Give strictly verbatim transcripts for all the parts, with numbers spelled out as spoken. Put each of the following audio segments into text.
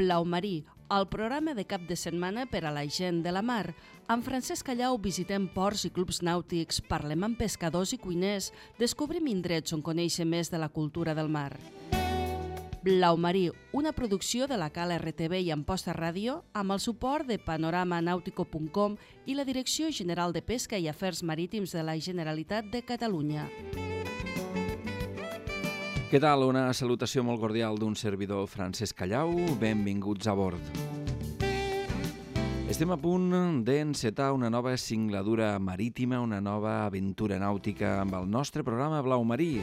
Blau Marí, el programa de cap de setmana per a la gent de la mar. Amb Francesc Callau visitem ports i clubs nàutics, parlem amb pescadors i cuiners, descobrim indrets on conèixer més de la cultura del mar. Blau Marí, una producció de la Cala R T V i Amposta Ràdio, amb el suport de panorama nautico punt com i la Direcció General de Pesca i Afers Marítims de la Generalitat de Catalunya. Què tal? Una salutació molt cordial d'un servidor, Francesc Callau. Benvinguts a bord. Estem a punt d'encetar una nova singladura marítima, una nova aventura nàutica amb el nostre programa Blau Marí.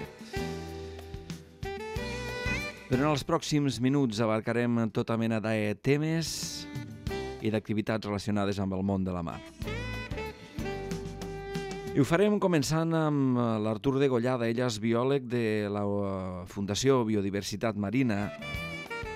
Durant els pròxims minuts abarcarem tota mena de temes i d'activitats relacionades amb el món de la mar. I ho farem començant amb l'Artur Degollada. Ell és biòleg de la Fundació Biodiversitat Marina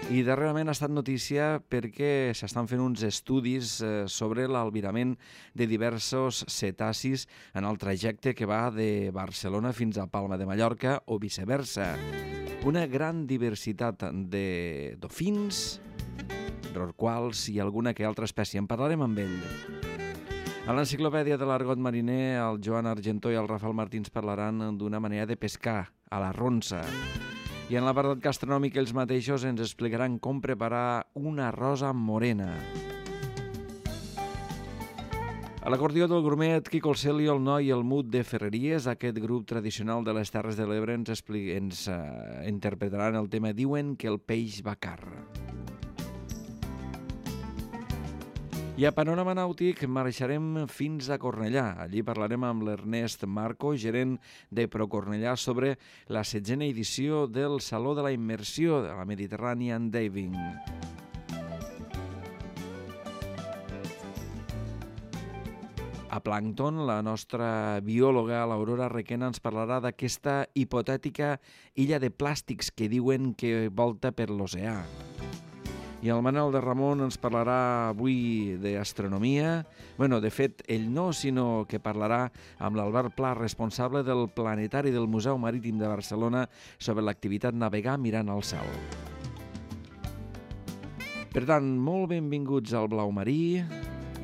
i darrerament ha estat notícia perquè s'estan fent uns estudis sobre l'albirament de diversos cetacis en el trajecte que va de Barcelona fins a Palma de Mallorca o viceversa. Una gran diversitat de dofins, rorquals i alguna que altra espècie. En parlarem amb ell. A l'enciclopèdia de l'argot mariner, el Joan Argentó i el Rafael Martins parlaran d'una manera de pescar, a la ronça. I en l'apartat gastronòmic ells mateixos ens explicaran com preparar una rosa morena. A l'acordió del grumet, Quico el Celi, el Noi i el Mut de Ferreries, aquest grup tradicional de les Terres de l'Ebre, ens, expli... ens uh, interpretaran el tema Diuen que el peix va car. I a Panorama Nàutic marxarem fins a Cornellà. Allí parlarem amb l'Ernest Marco, gerent de ProCornellà, sobre la setzena edició del Saló de la Immersió de la Mediterranean Diving. A Plàncton, la nostra biòloga, l'Aurora Requena, ens parlarà d'aquesta hipotètica illa de plàstics que diuen que volta per l'oceà. I el Manel de Ramon ens parlarà avui d'astronomia. Bueno, de fet, ell no, sinó que parlarà amb l'Albert Pla, responsable del Planetari del Museu Marítim de Barcelona, sobre l'activitat navegar mirant al cel. Per tant, molt benvinguts al Blau Marí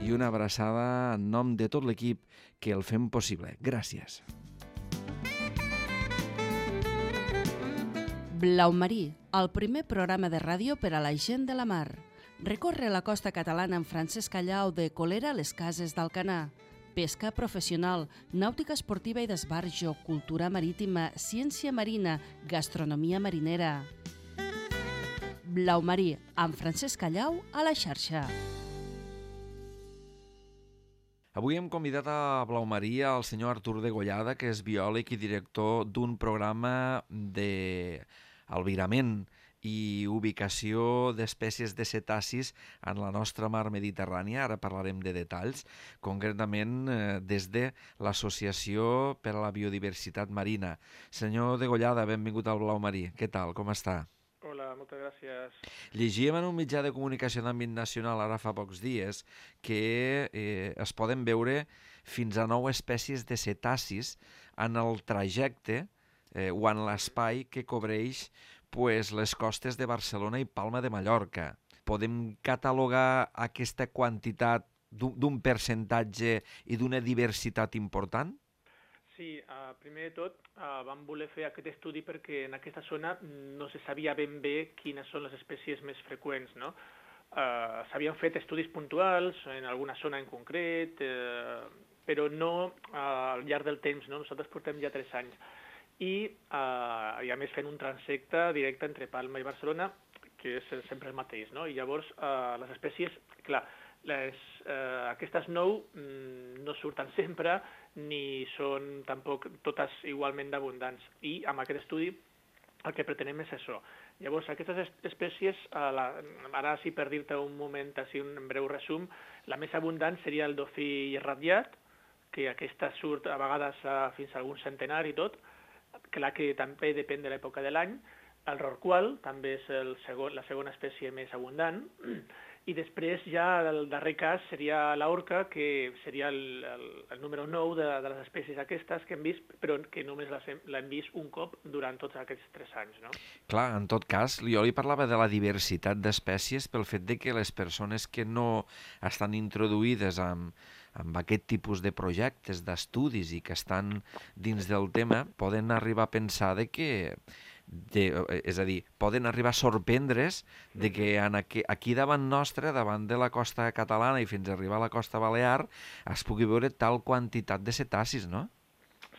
i una abraçada en nom de tot l'equip que el fem possible. Gràcies. Blau Marí, el primer programa de ràdio per a la gent de la mar. Recorre la costa catalana amb Francesc Callau de Colera a les Cases d'Alcanar. Pesca professional, nàutica esportiva i d'esbarjo, cultura marítima, ciència marina, gastronomia marinera. Blau Marí, amb Francesc Callau a la xarxa. Avui hem convidat a Blau Marí al senyor Artur Degollada, que és biòleg i director d'un programa d'albirament i ubicació d'espècies de cetacis en la nostra mar Mediterrània. Ara parlarem de detalls, concretament eh, des de l'Associació per a la Biodiversitat Marina. Senyor Degollada, benvingut al Blau Marí. Què tal? Com està? Hola, moltes gràcies. Llegíem en un mitjà de comunicació d'àmbit nacional ara fa pocs dies que eh, es poden veure fins a nou espècies de cetacis en el trajecte eh, o en l'espai que cobreix pues, les costes de Barcelona i Palma de Mallorca. Podem catalogar aquesta quantitat d'un percentatge i d'una diversitat important? Sí, uh, primer de tot uh, vam voler fer aquest estudi perquè en aquesta zona no se sabia ben bé quines són les espècies més freqüents, no? Uh, S'havien fet estudis puntuals en alguna zona en concret, uh, però no uh, al llarg del temps, no? Nosaltres portem ja tres anys. I, uh, i a més fent un transecte directe entre Palma i Barcelona, que és sempre el mateix, no? I llavors uh, les espècies, clar, les, uh, aquestes nou mm, no surten sempre, ni són tampoc totes igualment d'abundants. I amb aquest estudi el que pretenem és això. Llavors, aquestes espècies, ara sí per dir-te un moment, així un breu resum, la més abundant seria el dofí ratllat, que aquesta surt a vegades fins a algun centenar i tot, clar que també depèn de l'època de l'any. El rorqual també és el segon, la segona espècie més abundant, I després ja el darrer cas seria l'orca, que seria el, el, el número nou de, de les espècies aquestes que hem vist, però que només l'hem vist un cop durant tots aquests tres anys, no? Clar, en tot cas, jo li parlava de la diversitat d'espècies pel fet de que les persones que no estan introduïdes amb, amb aquest tipus de projectes, d'estudis i que estan dins del tema, poden arribar a pensar de que De, és a dir, poden arribar a sorprendre's de que en aquí, aquí davant nostre, davant de la costa catalana i fins a arribar a la costa balear, es pugui veure tal quantitat de cetacis, no?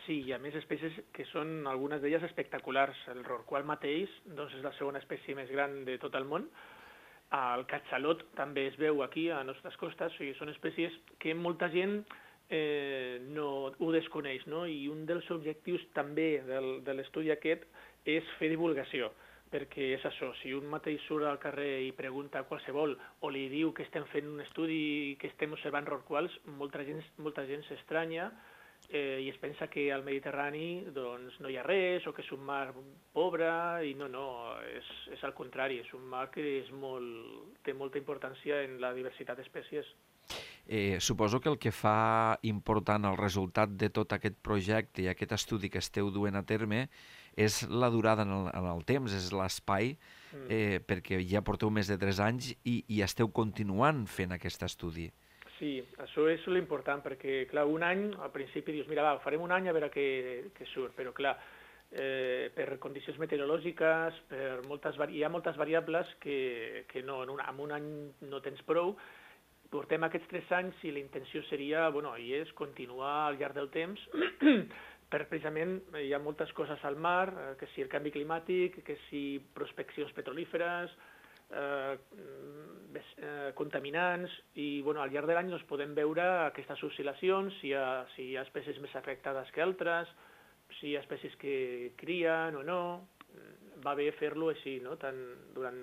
Sí, i a més espècies que són algunes d'elles espectaculars. El rorqual mateix doncs és la segona espècie més gran de tot el món. El catxalot també es veu aquí a les nostres costes, o sigui, són espècies que molta gent eh, no ho desconeix, no? I un dels objectius també del, de l'estudi aquest és fer divulgació, perquè és això, si un mateix surt al carrer i pregunta a qualsevol o li diu que estem fent un estudi i que estem observant rorquals, molta gent, molta gent s'estranya eh, i es pensa que al Mediterrani doncs, no hi ha res o que és un mar pobre, i no, no, és, és al contrari, és un mar que és molt, té molta importància en la diversitat d'espècies. Eh, suposo que el que fa important el resultat de tot aquest projecte i aquest estudi que esteu duent a terme és la durada en el, en el temps, és l'espai, eh, mm. perquè ja porteu més de tres anys i, i esteu continuant fent aquest estudi. Sí, això és l'important, perquè, clar, un any, al principi dius, mira, va, farem un any a veure què, què surt, però, clar, eh, per condicions meteorològiques, per moltes, hi ha moltes variables que, que no, en un, en un any no tens prou. Portem aquests tres anys i la intenció seria, bueno, i és continuar al llarg del temps, per precisament hi ha moltes coses al mar, que si el canvi climàtic, que si prospeccions petrolíferes, eh, eh, contaminants, i bueno, al llarg de l'any doncs, podem veure aquestes oscil·lacions, si hi, ha, si hi ha espècies més afectades que altres, si hi ha espècies que crien o no. Va bé fer-lo així, no? Tant, durant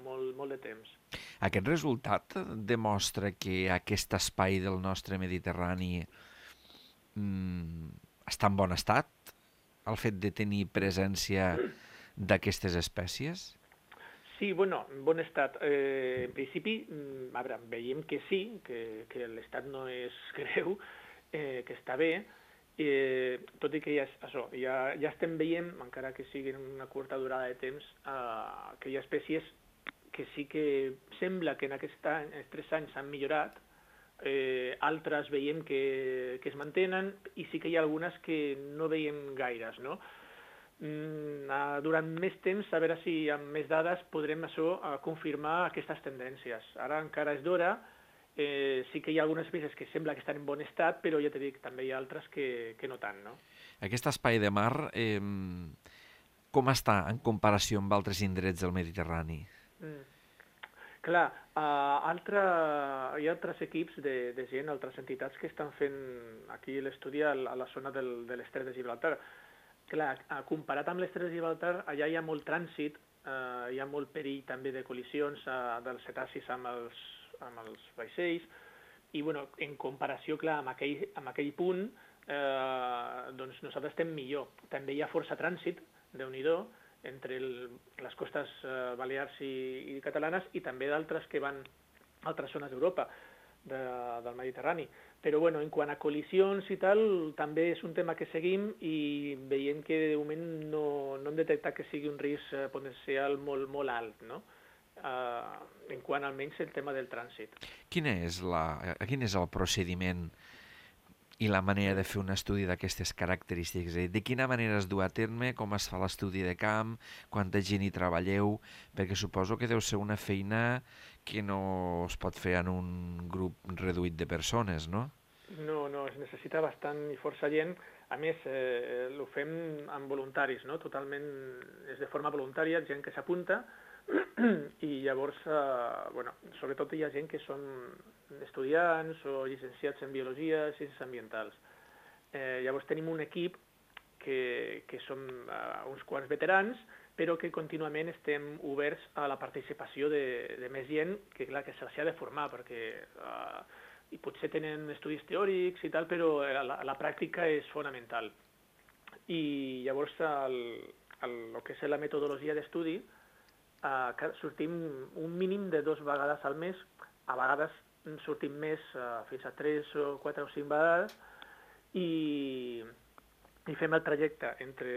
molt, molt de temps. Aquest resultat demostra que aquest espai del nostre Mediterrani mm, està en bon estat, el fet de tenir presència d'aquestes espècies? Sí, bueno, en bon estat. Eh, en principi, a veure, veiem que sí, que, que l'estat no és greu, eh, que està bé, Eh, tot i que ja, això, ja, ja estem veient, encara que sigui en una curta durada de temps, eh, que hi ha espècies que sí que sembla que en aquests any, tres anys s'han millorat, eh, altres veiem que, que es mantenen, i sí que hi ha algunes que no veiem gaires, no? Mm, eh, durant més temps, a veure si amb més dades podrem això, eh, confirmar aquestes tendències. Ara encara és d'hora. Eh, sí que hi ha algunes espècies que sembla que estan en bon estat, però ja t'he dit, també hi ha altres que, que no tant, no? Aquest espai de mar, eh, com està en comparació amb altres indrets del Mediterrani? Mm. Clar, uh, altre, hi ha altres equips de, de gent, altres entitats que estan fent aquí l'estudi a la zona del, de l'estret de Gibraltar. Clar, uh, comparat amb l'estret de Gibraltar, allà hi ha molt trànsit, uh, hi ha molt perill també de col·lisions uh, dels cetacis amb els amb els vaixells, i bueno, en comparació, clar, amb aquell, amb aquell punt, eh, doncs nosaltres estem millor. També hi ha força trànsit, Déu-n'hi-do, entre el, les costes eh, balears i, i catalanes, i també d'altres que van a altres zones d'Europa, de, del Mediterrani. Però bueno, en quant a col·lisions i tal, també és un tema que seguim i veiem que de moment no, no hem detectat que sigui un risc potencial molt, molt alt, no? Uh, en quant almenys el tema del trànsit. Quin és, la, quin és el procediment i la manera de fer un estudi d'aquestes característiques? De quina manera es du a terme, com es fa l'estudi de camp, quanta gent hi treballeu? Perquè suposo que deu ser una feina que no es pot fer en un grup reduït de persones, no? No, no, es necessita bastant i força gent. A més, eh, ho fem amb voluntaris, no? Totalment, és de forma voluntària, gent que s'apunta, i llavors, eh, bueno, sobretot hi ha gent que són estudiants o llicenciats en biologia, ciències ambientals. Eh, llavors tenim un equip que, que som uh, uns quants veterans, però que contínuament estem oberts a la participació de, de més gent que, clar, que se'ls ha de formar, perquè uh, i potser tenen estudis teòrics i tal, però la, la pràctica és fonamental. I llavors el, el, el que és la metodologia d'estudi, Uh, sortim un mínim de dues vegades al mes a vegades sortim més, uh, fins a tres o quatre o cinc vegades, i, i fem el trajecte entre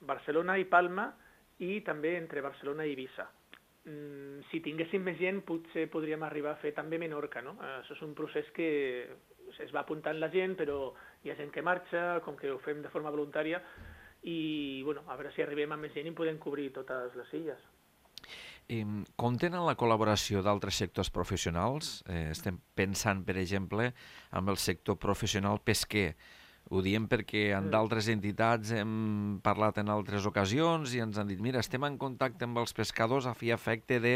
Barcelona i Palma i també entre Barcelona i Eivissa. Mm, si tinguéssim més gent, potser podríem arribar a fer també Menorca, no? Uh, això és un procés que es va apuntant la gent, però hi ha gent que marxa, com que ho fem de forma voluntària, i bueno, a veure si arribem a més gent i podem cobrir totes les illes. Eh, compten amb la col·laboració d'altres sectors professionals? Eh, estem pensant, per exemple, amb el sector professional pesquer. Ho diem perquè en d'altres entitats hem parlat en altres ocasions i ens han dit, mira, estem en contacte amb els pescadors a fi efecte de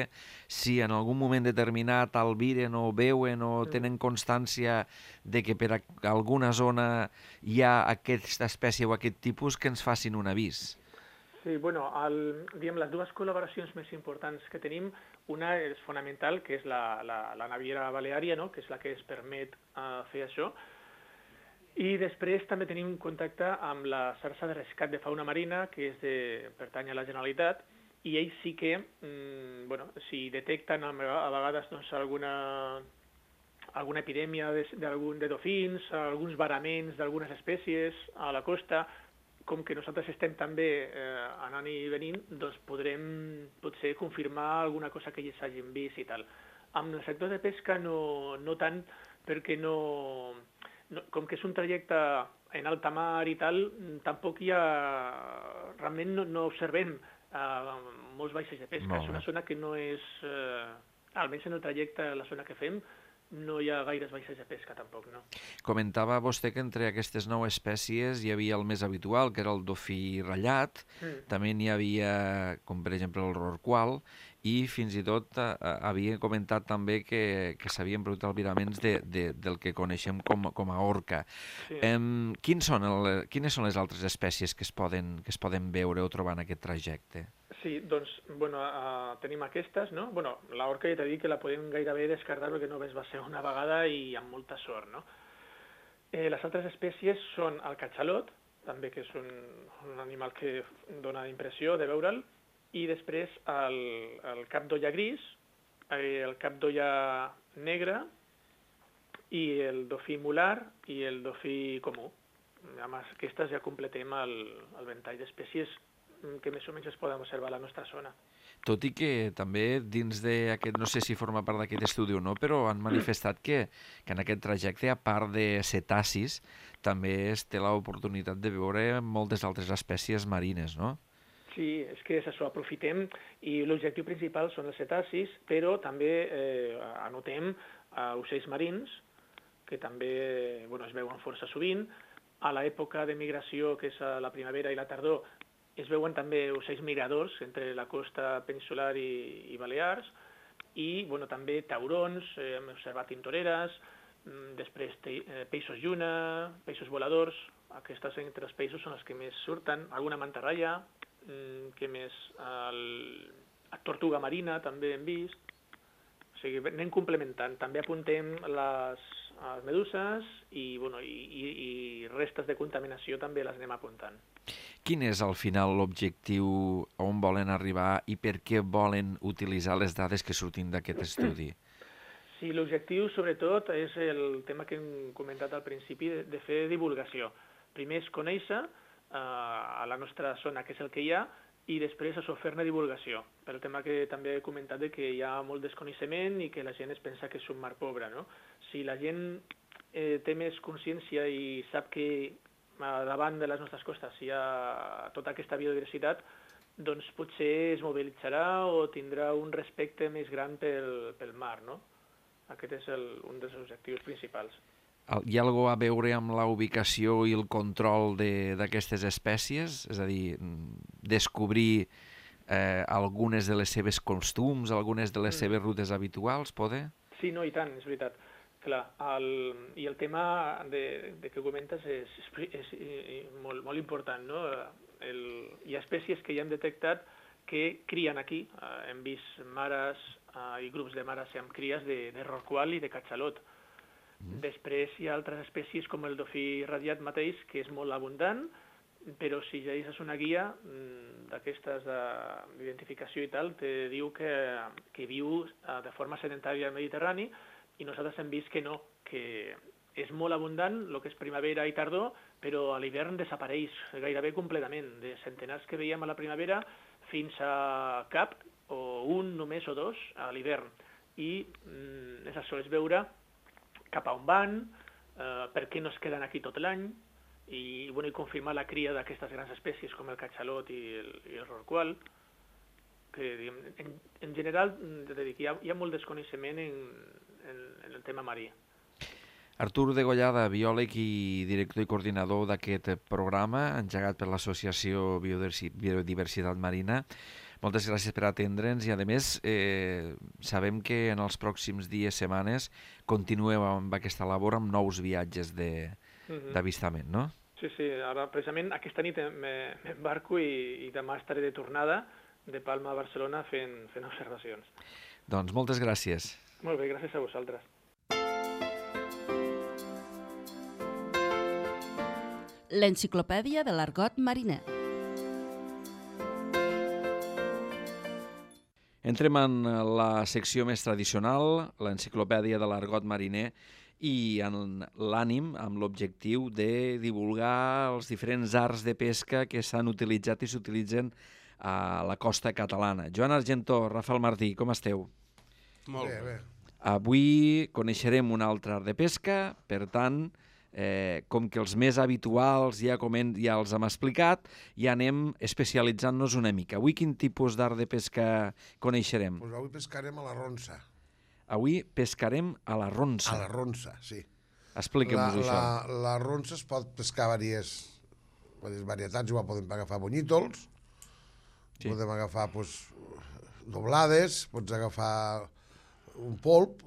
si en algun moment determinat albiren o veuen o tenen constància de que per alguna zona hi ha aquesta espècie o aquest tipus, que ens facin un avís. Sí, bueno, el, diguem, les dues col·laboracions més importants que tenim, una és fonamental, que és la, la, la naviera baleària, no?, que és la que es permet uh, fer això, i després també tenim contacte amb la xarxa de rescat de fauna marina, que és de, pertany a la Generalitat, i ells sí que, mm, bueno, si detecten a vegades doncs, alguna, alguna epidèmia de, de, de dofins, alguns varaments d'algunes espècies a la costa, com que nosaltres estem també eh, anant i venint, doncs podrem potser confirmar alguna cosa que ells hagin vist i tal. Amb el sector de pesca no, no tant, perquè no, no, com que és un trajecte en alta mar i tal, tampoc hi ha, realment no, no observem eh, molts vaixells de pesca. No. És una zona que no és, eh, almenys en el trajecte, la zona que fem, no hi ha gaires vaixells de pesca, tampoc, no. Comentava vostè que entre aquestes nou espècies hi havia el més habitual, que era el dofí ratllat, mm. també n'hi havia, com per exemple, el rorqual, i fins i tot eh, havia comentat també que, que s'havien produït albiraments de, de, del que coneixem com, com a orca. Sí. Em, quins són el, quines són les altres espècies que es poden, que es poden veure o trobar en aquest trajecte? Sí, doncs, bueno, uh, tenim aquestes, no? Bueno, l'orca ja t'he dit que la podem gairebé descartar perquè només va ser una vegada i amb molta sort, no? Eh, les altres espècies són el catxalot, també que és un, un animal que dona impressió de veure'l, i després el, el cap d'olla gris, eh, el cap d'olla negre, i el dofí mular i el dofí comú. Amb aquestes ja completem el, el ventall d'espècies que més o menys es poden observar a la nostra zona. Tot i que també dins d'aquest, no sé si forma part d'aquest estudi o no, però han manifestat que, que en aquest trajecte, a part de cetacis, també es té l'oportunitat de veure moltes altres espècies marines, no? Sí, és que és això, aprofitem, i l'objectiu principal són els cetacis, però també eh, anotem eh, ocells marins, que també bueno, es veuen força sovint. A l'època de migració, que és a la primavera i la tardor, es veuen també ocells migradors entre la costa peninsular i, i Balears, i bueno, també taurons, eh, hem observat tintoreres, després te, eh, peixos lluna, peixos voladors, aquestes entre els peixos són els que més surten, alguna mantarralla, mm, que més, el, la tortuga marina també hem vist, o sigui, anem complementant, també apuntem les, les meduses i, bueno, i, i, i restes de contaminació també les anem apuntant. Quin és al final l'objectiu, on volen arribar i per què volen utilitzar les dades que surtin d'aquest estudi? Sí, l'objectiu sobretot és el tema que hem comentat al principi de, de fer divulgació. Primer és conèixer eh, a la nostra zona què és el que hi ha i després això fer-ne divulgació. Pel tema que també he comentat de que hi ha molt desconeixement i que la gent es pensa que és un mar pobre, no? Si la gent eh, té més consciència i sap que davant de les nostres costes hi ha tota aquesta biodiversitat, doncs potser es mobilitzarà o tindrà un respecte més gran pel, pel mar, no? Aquest és el, un dels objectius principals. Hi ha alguna cosa a veure amb la ubicació i el control d'aquestes espècies? És a dir, descobrir eh, algunes de les seves costums, algunes de les mm. seves rutes habituals, poder? Sí, no, i tant, és veritat. Clar, el, i el tema de, de que comentes és, és, és molt, molt important, no? El, hi ha espècies que ja hem detectat que crien aquí. Uh, hem vist mares uh, i grups de mares amb cries de, de rorqual i de catxalot. Mm. Després hi ha altres espècies com el dofí radiat mateix, que és molt abundant, però si llegeixes una guia d'aquestes d'identificació i tal, te diu que, que viu de forma sedentària al Mediterrani, i nosaltres hem vist que no, que és molt abundant el que és primavera i tardor, però a l'hivern desapareix gairebé completament. De centenars que veiem a la primavera fins a cap, o un només o dos, a l'hivern. I mm, és això, és veure cap a on van, eh, per què no es queden aquí tot l'any, i, bueno, i confirmar la cria d'aquestes grans espècies com el catxalot i el, i el rorqual, que diguem, en, en general hi ha, hi ha molt desconeixement en, en, en el tema marí. Artur Degollada, biòleg i director i coordinador d'aquest programa, engegat per l'Associació Biodiversitat Marina. Moltes gràcies per atendre'ns i, a més, eh, sabem que en els pròxims dies, setmanes, continueu amb aquesta labor amb nous viatges d'avistament, no? Sí, sí. Ara, precisament, aquesta nit m'embarco i, i demà estaré de tornada de Palma a Barcelona fent, fent observacions. Doncs moltes gràcies. Molt bé, gràcies a vosaltres. L'Enciclopèdia de l'Argot Mariner. Entrem en la secció més tradicional, l'Enciclopèdia de l'Argot Mariner, i en l'ànim, amb l'objectiu de divulgar els diferents arts de pesca que s'han utilitzat i s'utilitzen a la costa catalana. Joan Argentó, Rafael Martí, com esteu? Molt bé. bé. Avui coneixerem un altre art de pesca, per tant, eh, com que els més habituals ja, coment, ja els hem explicat, ja anem especialitzant-nos una mica. Avui quin tipus d'art de pesca coneixerem? Pues avui pescarem a la ronça. Avui pescarem a la ronça. A la ronça, sí. Expliquem-nos això. La, la ronça es pot pescar diverses, diverses varietats. Igual podem agafar bonyitos, sí. Podem agafar pues, doblades, pots agafar un polp.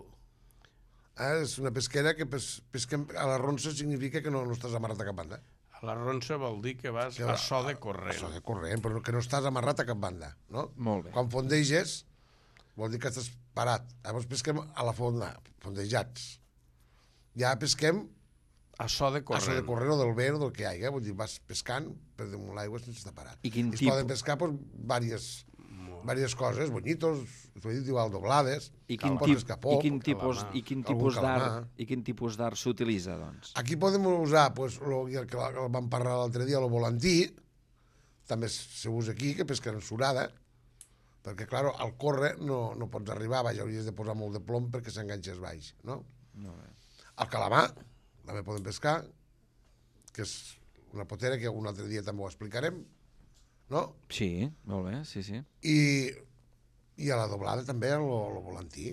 Eh? És una pesquera que pes, pesquem a la ronça significa que no, no estàs amarrat a cap banda. A la ronça vol dir que vas que va, a so de corrent. A so de corrent, però que no estàs amarrat a cap banda. No? Molt bé. Quan fondeges, vol dir que estàs parat. Llavors pesquem a la fonda, fondejats. Ja pesquem a so de corrent. A so de corrent o del vent o del que hi hagi. Vull dir, vas pescant per damunt l'aigua sense estar parat. I quin es tipus? Poden pescar pues, diverses, diverses coses, bonyitos, igual doblades, I quin, pots pescar pop, i quin tipus, i quin tipus d'art i quin tipus d'art s'utilitza, doncs? Aquí podem usar, pues, lo, el que vam parlar l'altre dia, el volantí, també s'usa aquí, que pesquen surada, perquè, clar, al córrer no, no pots arribar, vaja, hauries de posar molt de plom perquè s'enganxes baix, no? No bé. El calamar, també podem pescar, que és una potera que un altre dia també ho explicarem, no? Sí, molt bé, sí, sí. I, i a la doblada també, el, el volantí.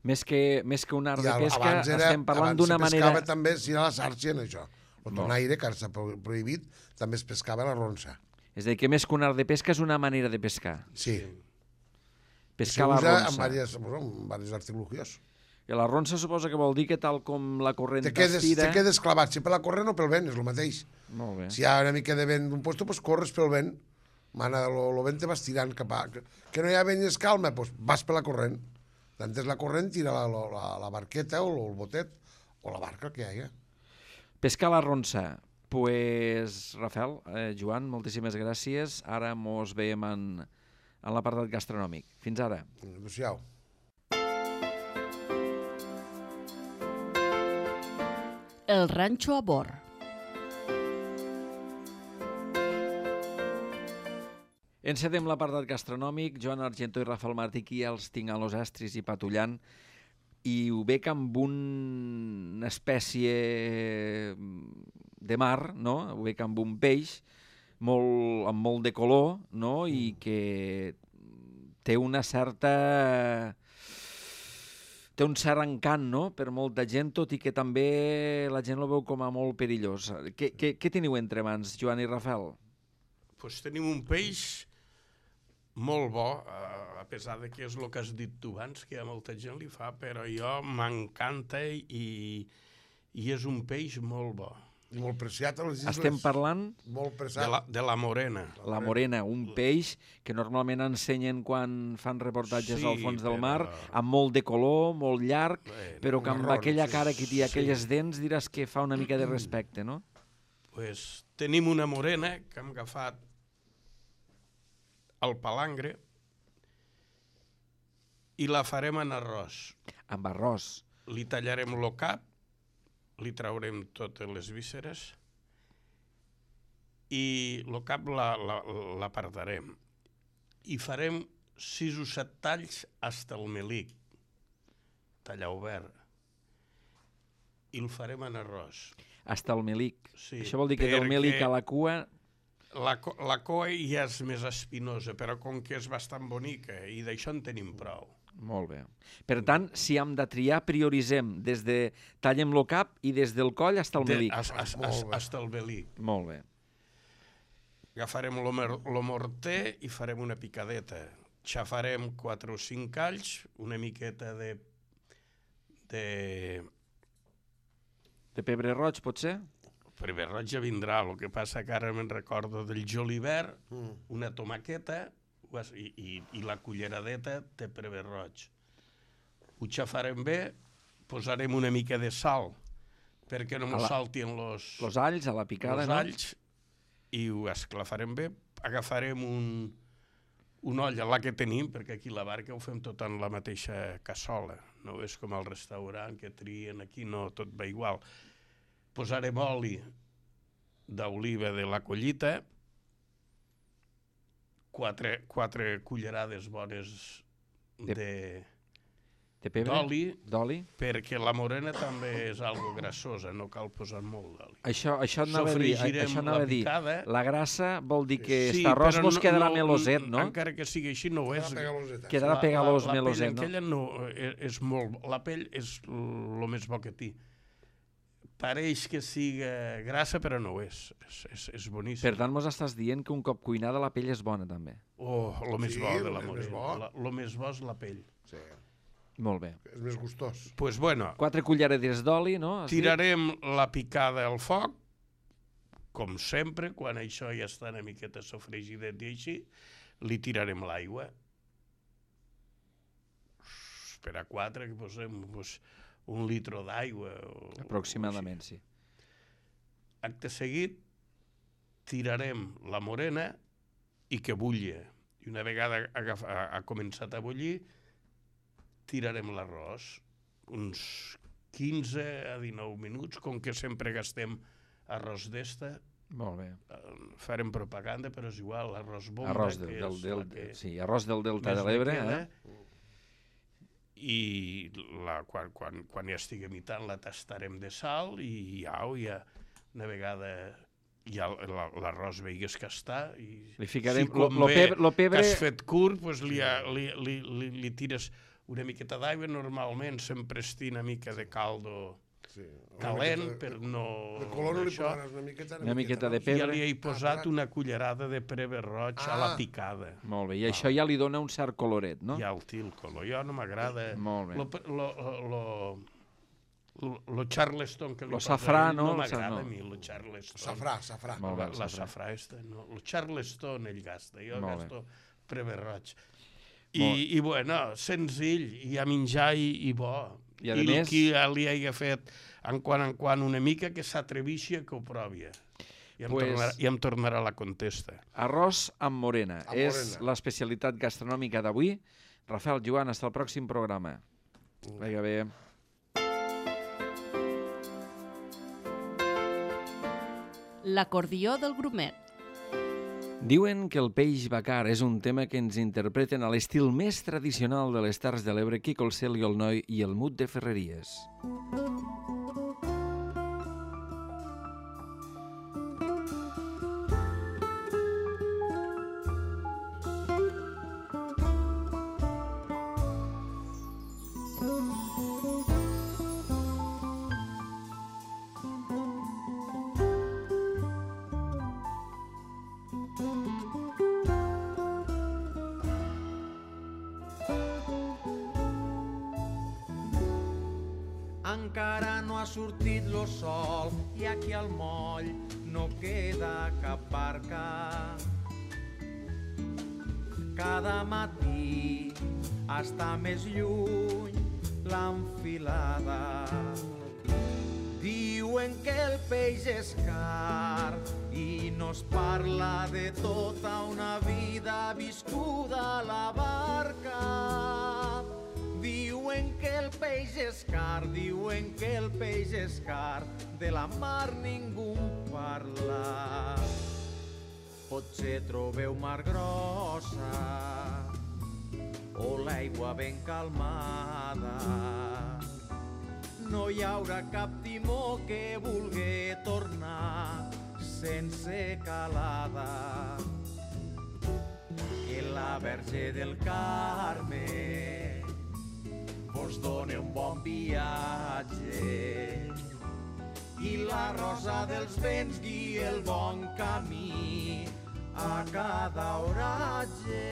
Més que, més que un art I de pesca, era, estem parlant d'una manera... Abans se pescava també, si era la sàrcia en això. El tonaire, que ara s'ha prohibit, també es pescava a la ronça. És a dir, que més que un art de pesca és una manera de pescar. Sí. Pescar a la ronça. Amb diversos, amb diversos artilugios. I la ronça suposa que vol dir que tal com la corrent t'estira... Te quedes clavat, si per la corrent o pel vent, és el mateix. Molt bé. Si hi ha una mica de vent d'un lloc, doncs corres pel vent. Mana, el vent te vas tirant cap a... Que no hi ha vent i es calma, doncs vas per la corrent. D'antes la corrent tira la, la, la barqueta o el botet o la barca que hi hagi. Pescar a la ronça. Pues, Rafael, eh, Joan, moltíssimes gràcies. Ara mos veiem en, en l'apartat gastronòmic. Fins ara. Adéu-siau. El ranxo a bord. Encedem l'apartat gastronòmic. Joan Argentó i Rafael Martí, aquí els tinc a los estris i patullant. I ho bec amb una espècie de mar, no? Ho bec amb un peix molt, amb molt de color, no? I que té una certa... té un cert encant, no?, per molta gent, tot i que també la gent el veu com a molt perillós. Què, què, què teniu entre mans, Joan i Rafael? Pues tenim un peix molt bo, a pesar de que és el que has dit tu abans, que a molta gent li fa, però jo m'encanta i, i és un peix molt bo. I molt preciat a les isles. Estem parlant molt preciat. De, la, de la morena. La morena, un peix que normalment ensenyen quan fan reportatges sí, al fons del mar, però... amb molt de color, molt llarg, Bé, però que amb marrón, aquella sí, cara que té, sí. aquelles dents, diràs que fa una mica de respecte, no? Pues tenim una morena que hem agafat al palangre i la farem en arròs. Amb arròs. Li tallarem el cap, li traurem totes les vísceres i el cap l'apartarem. I farem sis o set talls fins al melic, tallar obert. I el farem en arròs. Hasta el melic. Sí, això vol dir que del melic a la cua... La, la cua ja és més espinosa, però com que és bastant bonica i d'això en tenim prou. Molt bé. Per tant, si hem de triar, prioritzem des de tallem el cap i des del coll fins al melic. Fins al melic. Molt bé. Agafarem el morter i farem una picadeta. Xafarem quatre o cinc alls, una miqueta de... de... de pebre roig, potser? Pebre roig ja vindrà, el que passa que ara me'n recordo del julivert, una tomaqueta i, i, i la culleradeta de pebre roig. Ho xafarem bé, posarem una mica de sal, perquè no mos saltin los... Los alls a la picada, no? Los alls, i ho esclafarem bé. Agafarem un, un olla, la que tenim, perquè aquí a la barca ho fem tot en la mateixa cassola. No és com al restaurant que trien aquí, no, tot va igual. Posarem oli d'oliva de la collita, quatre, quatre cullerades bones de, d'oli, perquè la morena també és algo grassosa, no cal posar molt d'oli. Això, això anava a dir, això anava a dir. La grassa vol dir que sí, aquest arròs vos no, quedarà no, meloset, no? Encara que sigui així, no ho és. Quedarà pegalós, meloset, no? La pell aquella no, és molt... La pell és el més bo que té. Pareix que siga grassa, però no ho és. És, és, és boníssim. Per tant, mos estàs dient que un cop cuinada la pell és bona, també. Oh, el més bo de la morena. El més bo és la pell. Sí. Molt bé. És més gustós. Pues bueno. Quatre cullerades d'oli, no? Tirarem la picada al foc, com sempre, quan això ja està una miqueta sofregidet i així, li tirarem l'aigua. Per a quatre, que posem... Pues, un litre d'aigua. Aproximadament, sí. Acte seguit, tirarem la morena i que bulli. I una vegada ha, ha començat a bullir, tirarem l'arròs. Uns quinze a dinou minuts, com que sempre gastem arròs d'esta. Molt bé. Farem propaganda, però és igual, l'arròs bomba. Arròs del, del, del, que sí, arròs del Delta de l'Ebre, eh? I la, quan, quan, quan ja estigui imitant la tastarem de sal i ja, ja una vegada ja l'arròs veigues que està i li ficarem si com lo, lo pebre, lo pebre... que has fet curt, pues li, li, li, li, li tires una miqueta d'aigua. Normalment sempre estic una mica de caldo sí, calent de, per no... De color no li posaràs una miqueta, una, una miqueta de no? pebre. Ja li he posat ah, una cullerada de pebre roig ah. a la picada. Molt bé, i ah. això ja li dona un cert coloret, no? Ja el té el color, jo no m'agrada. Molt bé. Lo, lo, lo, lo, lo Charleston que li lo safrà, no? No m'agrada no. a mi, lo Charleston. Safrà, safrà. Molt bé, la safrà esta, no. Lo Charleston ell gasta, jo Molt gasto bé. Pebre roig. I, I bueno, senzill, i a menjar i, i bo. I, a I més... qui li hagi fet en quan en quan una mica que s'atrevixi que ho provi. I em, pues, tornarà, I em tornarà la contesta. Arròs amb morena. Amb és morena. l'especialitat gastronòmica d'avui. Rafael, Joan, hasta el pròxim programa. Mm. Vinga bé. L'acordió del grumet. Diuen que el peix bacar és un tema que ens interpreten a l'estil més tradicional de les Terres de l'Ebre, Quico el Cel i el Noi i el Mut de Ferreries. Encara no ha sortit lo sol i aquí al moll no queda cap barca. Cada matí està més lluny l'enfilada. Diuen que el peix és car i no es parla de tota una vida viscuda a la barca. Diuen que el peix és car, diuen que el peix és car, de la mar ningú parla. Potser trobeu mar grossa o l'aigua ben calmada. No hi haurà cap timó que vulgui tornar sense calada. Que la Verge del Carme vos doni un bon viatge i la rosa dels vents guia el bon camí a cada oratge.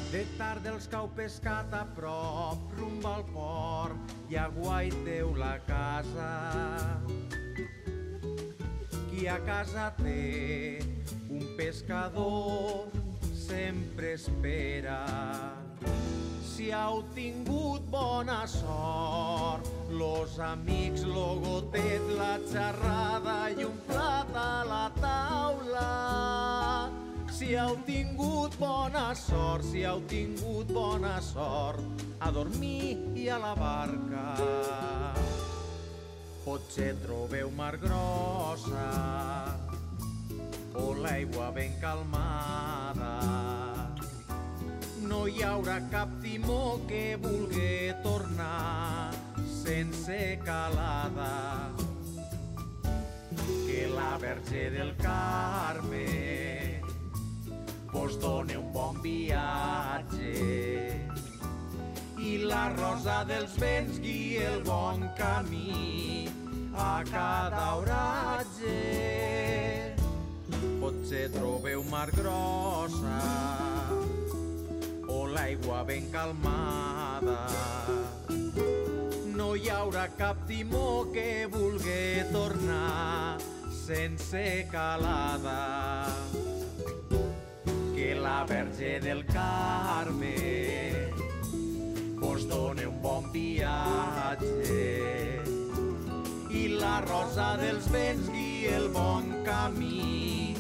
De tarda els cau pescat a prop, rumb al port, i aguaiteu la casa. Qui a casa té un pescador sempre espera. Si heu tingut bona sort, los amics, lo gotet, la xerrada i un plat a la taula. Si heu tingut bona sort, si heu tingut bona sort, a dormir i a la barca. Potser trobeu mar grossa o l'aigua ben calmada. No hi haurà cap timó que vulgui tornar sense calada. Que la Verge del Carme vos doni un bon viatge i la rosa dels vents guia el bon camí a cada oratge. Potser trobeu mar grossa o l'aigua ben calmada. No hi haurà cap timó que vulgui tornar sense calada. Que la Verge del Carme vos doni un bon viatge i la rosa dels vents guia el bon camí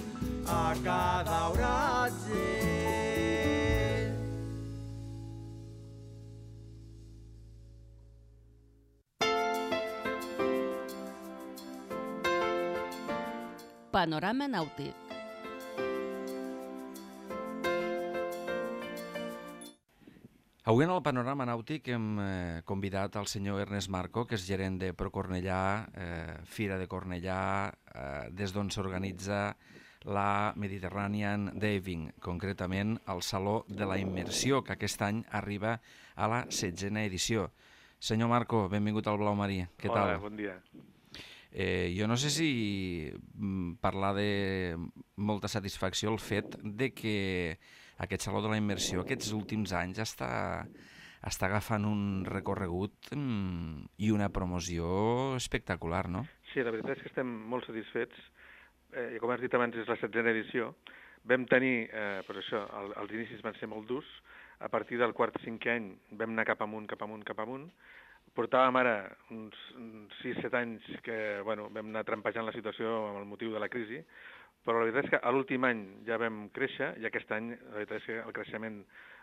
a cada oratge. Panorama nàutic. Avui en el Panorama Nàutic hem eh, convidat al senyor Ernest Marco, que és gerent de ProCornellà, eh, Fira de Cornellà, eh, des d'on s'organitza la Mediterranean Diving, concretament al Saló de la Immersió, que aquest any arriba a la setzena edició. Senyor Marco, benvingut al Blau Marí. Què tal? Hola, bon dia. Eh, jo no sé si mm, parlar de molta satisfacció el fet de que aquest Saló de la Immersió aquests últims anys està, està agafant un recorregut mm, i una promoció espectacular, no? Sí, la veritat és que estem molt satisfets. Eh, com has dit abans, és la setzena edició. Vam tenir, eh, doncs això, el, els inicis van ser molt durs. A partir del quart o cinquè any vam anar cap amunt, cap amunt, cap amunt. Portàvem ara uns sis set anys que bueno, vam anar trampejant la situació amb el motiu de la crisi, però la veritat és que a l'últim any ja vam créixer i aquest any la veritat és que el creixement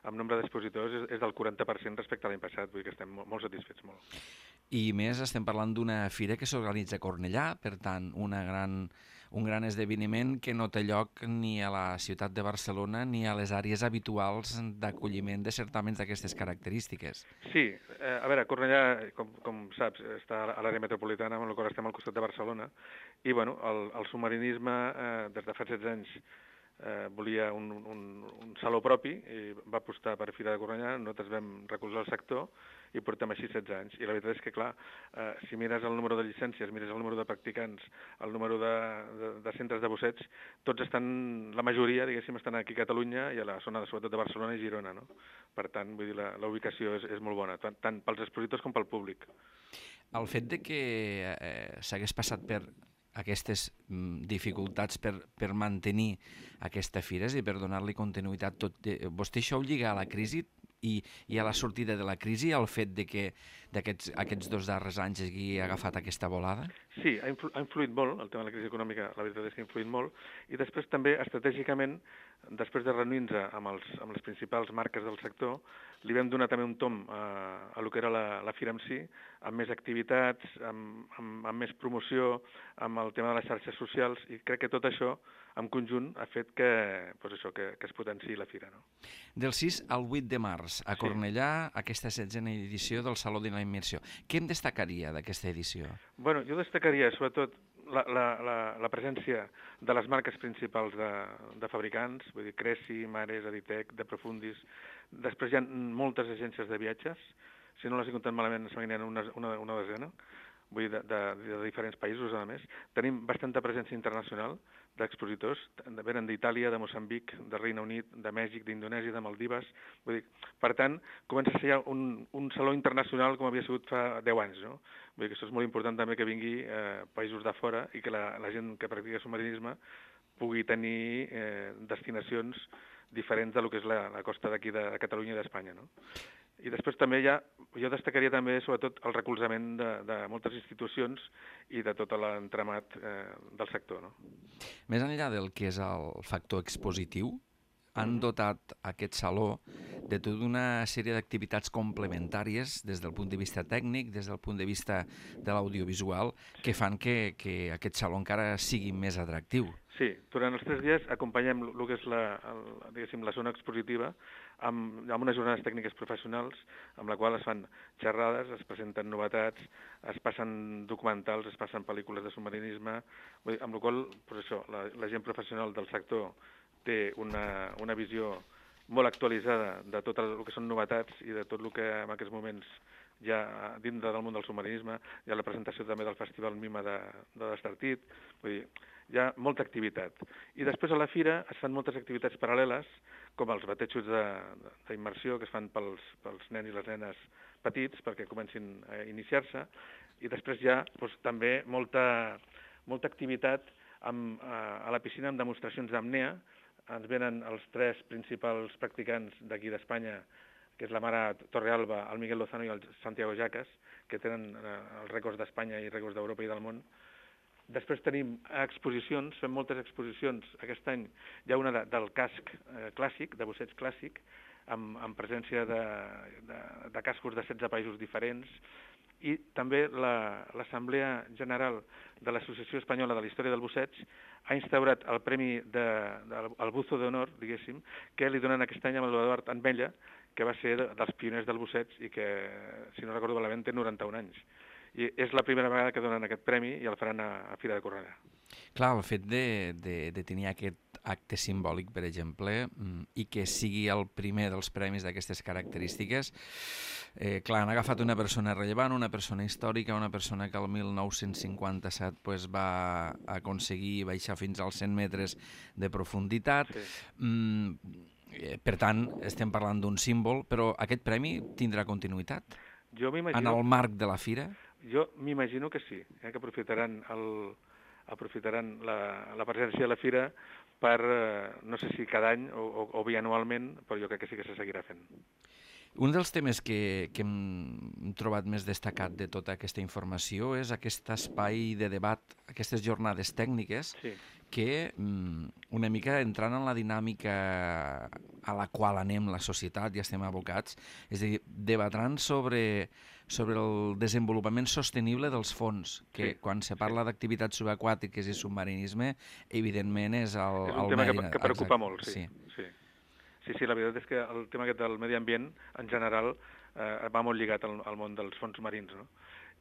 en nombre d'expositors és, és del quaranta per cent respecte a l'any passat, vull dir que estem molt, molt satisfets. Molt. I més estem parlant d'una fira que s'organitza a Cornellà, per tant, una gran, un gran esdeveniment que no té lloc ni a la ciutat de Barcelona ni a les àrees habituals d'acolliment de certàmens d'aquestes característiques. Sí, eh, a veure, Cornellà, com, com saps, està a l'àrea metropolitana, amb la qual estem al costat de Barcelona, i bueno, el, el submarinisme eh, des de fa setze anys eh, volia un, un, un saló propi i va apostar per Fira de Cornellà, nosaltres vam recolzar el sector i portem així setze anys. I la veritat és que, clar, eh, si mires el número de llicències, mires el número de practicants, el número de, de, de centres de busseig, tots estan, la majoria, diguéssim, estan aquí a Catalunya i a la zona, sobretot de Barcelona i Girona, no? Per tant, vull dir, la, la ubicació és, és molt bona, tant, tant pels expositors com pel públic. El fet de que eh, s'hagués passat per aquestes mm, dificultats per, per mantenir aquesta fires i per donar-li continuïtat, tot, de, vostè això ho lliga a la crisi i, i a la sortida de la crisi, el fet de que d'aquests aquests dos darrers anys hagi agafat aquesta volada? Sí, ha, influ, ha influït molt, el tema de la crisi econòmica, la veritat és que ha influït molt, i després també, estratègicament, després de reunir-nos amb, els, amb les principals marques del sector, li vam donar també un tom a, a lo que era la, la fira en si, amb més activitats, amb, amb, amb més promoció, amb el tema de les xarxes socials, i crec que tot això, en conjunt, ha fet que, pues això, que, que es potenciï la fira. No? Del sis al vuit de març, a Cornellà, sí. Aquesta setzena edició del Saló de la Immersió. Què em destacaria d'aquesta edició? Bueno, jo destacaria, sobretot, la, la, la, la presència de les marques principals de, de fabricants, vull dir, Cresi, Mares, Editec, De Profundis. Després hi ha moltes agències de viatges, si no les he comptat malament, se m'anirien una, una, una desena, vull dir, de, de, de diferents països, a més. Tenim bastanta presència internacional d'expositors, venen d'Itàlia, de Moçambic, de Regne Unit, de Mèxic, d'Indonèsia, de Maldives. Vull dir, per tant, comença a ser ja un, un saló internacional com havia sigut fa deu anys, no? Vull dir que això és molt important també que vingui eh, països de fora i que la, la gent que practica submarinisme pugui tenir eh, destinacions diferents del que és la, la costa d'aquí de, de Catalunya i d'Espanya, no? I després també ja, jo destacaria també sobretot el recolzament de, de moltes institucions i de tot l'entramat eh, del sector. No? Més enllà del que és el factor expositiu, han dotat aquest saló de tota una sèrie d'activitats complementàries des del punt de vista tècnic, des del punt de vista de l'audiovisual, que fan que, que aquest saló encara sigui més atractiu. Sí, durant els tres dies acompanyem el que és la, el, diguéssim, la zona expositiva amb, amb unes jornades tècniques professionals amb la qual es fan xerrades, es presenten novetats, es passen documentals, es passen pel·lícules de submarinisme, vull dir, amb la qual pues això, la, la gent professional del sector té una, una visió molt actualitzada de tot el que són novetats i de tot el que en aquests moments ja dintre del món del submarinisme, hi ha la presentació també del Festival Mima de, de l'Estartit, vull dir, hi ha molta activitat. I després a la fira es fan moltes activitats paral·leles, com els batejos d'immersió que es fan pels, pels nens i les nenes petits perquè comencin a iniciar-se, i després hi ha doncs, també molta, molta activitat amb, a, a la piscina amb demostracions d'apnea. Ens venen els tres principals practicants d'aquí d'Espanya, que és la Mara Torrealba, el Miguel Lozano i el Santiago Jacas, que tenen eh, els rècords d'Espanya i rècords d'Europa i del món. Després tenim exposicions, fem moltes exposicions. Aquest any hi ha una de, del casc eh, clàssic, de busseig clàssic, amb, amb presència de, de, de cascos de setze països diferents, i també l'Assemblea la, General de l'Associació Espanyola de la Història del Busseig ha instaurat el Premi de, de, el Buzo d'Honor, diguéssim, que li donen aquest any amb l'Eduard Anbella, que va ser de, dels pioners del busseig i que, si no recordo malament, té noranta-un anys. I és la primera vegada que donen aquest premi i el faran a, a Fira de Cornellà. Clar, el fet de, de, de tenir aquest acte simbòlic, per exemple, i que sigui el primer dels premis d'aquestes característiques, eh, clar, han agafat una persona rellevant, una persona històrica, una persona que el mil nou-cents cinquanta-set pues, va aconseguir baixar fins als cent metres de profunditat. Sí. Mm, per tant, estem parlant d'un símbol, però aquest premi tindrà continuïtat? Jo m'imagino... En el marc de la fira? Jo m'imagino que sí, eh, que aprofitaran, el, aprofitaran la, la presència de la fira per, eh, no sé si cada any o, o, o bianualment, però jo crec que sí que se seguirà fent. Un dels temes que, que hem trobat més destacat de tota aquesta informació és aquest espai de debat, aquestes jornades tècniques, sí. que una mica entrant en la dinàmica a la qual anem la societat i estem abocats, és a dir, debatran sobre, sobre el desenvolupament sostenible dels fons, que sí, quan se parla sí. d'activitats subaquàtiques i submarinisme, evidentment és el... És un el tema medi... que, que preocupa Exacte. molt, sí. sí. sí. Sí, sí, la veritat és que el tema aquest del medi ambient, en general, eh, va molt lligat al, al món dels fons marins, no?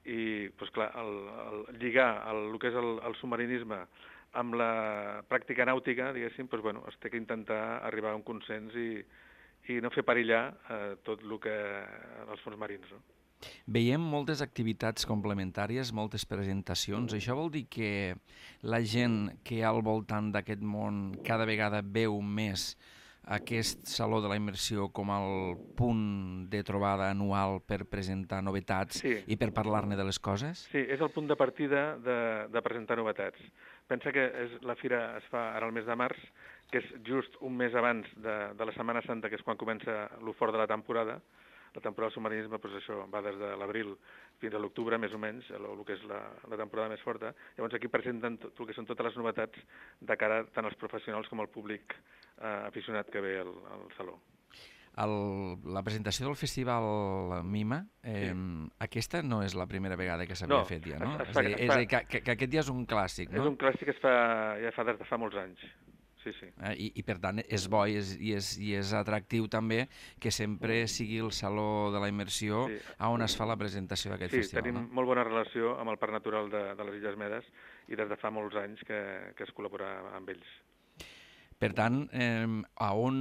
i doncs, clar, el, el, lligar el, el que és el, el submarinisme amb la pràctica nàutica, diguéssim, doncs, bueno, es té que intentar arribar a un consens i, i no fer perillar eh, tot el que els fons marins. No? Veiem moltes activitats complementàries, moltes presentacions. Això vol dir que la gent que hi ha al voltant d'aquest món cada vegada veu més aquest Saló de la Immersió com el punt de trobada anual per presentar novetats sí. i per parlar-ne de les coses? Sí, és el punt de partida de, de presentar novetats. Pensa que és, la fira es fa ara al mes de març, que és just un mes abans de, de la Setmana Santa, que és quan comença lo fort de la temporada. La temporada del submarinisme, doncs això, va des de l'abril fins a l'octubre, més o menys, el, el que és la, la temporada més forta. Llavors aquí presenten tot el que són totes les novetats de cara tant als professionals com al públic eh, aficionat que ve al, al saló. El, la presentació del festival Mima, eh, sí. aquesta no és la primera vegada que s'havia no, fet ja, no? Es, es fa, és a dir, és a dir que, que, que aquest ja és un clàssic, no? És un clàssic que es fa, ja fa des de fa molts anys. Sí, sí. Eh, i, I per tant és bo i és, i, és, i és atractiu també que sempre sigui el Saló de la Immersió sí. on es fa la presentació d'aquest sí, festival. Sí, tenim no? molt bona relació amb el Parc Natural de, de les Illes Medes i des de fa molts anys que, que es col·labora amb ells. Per tant, eh, a on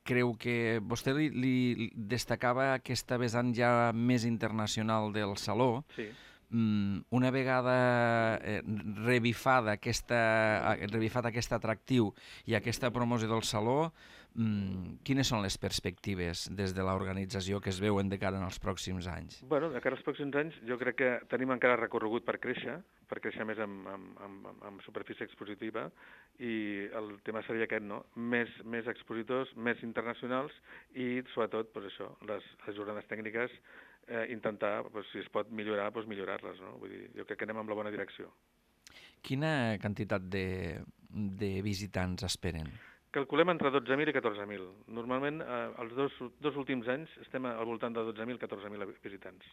creu que vostè li, li destacava aquesta vessant ja més internacional del Saló? Sí. Una vegada eh, revifada aquesta, revifat aquest atractiu i aquesta promoció del Saló, mm, quines són les perspectives des de l'organització que es veuen de cara als pròxims anys? Bueno, de cara als pròxims anys jo crec que tenim encara recorregut per créixer, per créixer més amb, amb, amb, amb superfície expositiva, i el tema seria aquest, no? Més, més expositors, més internacionals i sobretot, doncs això, les, les jornades tècniques, Eh, intentar, pues, si es pot millorar, pues, millorar-les. No? Vull dir, jo crec que anem en la bona direcció. Quina quantitat de, de visitants esperen? Calculem entre dotze mil i catorze mil. Normalment, eh, els dos, dos últims anys estem al voltant de dotze mil a catorze mil visitants.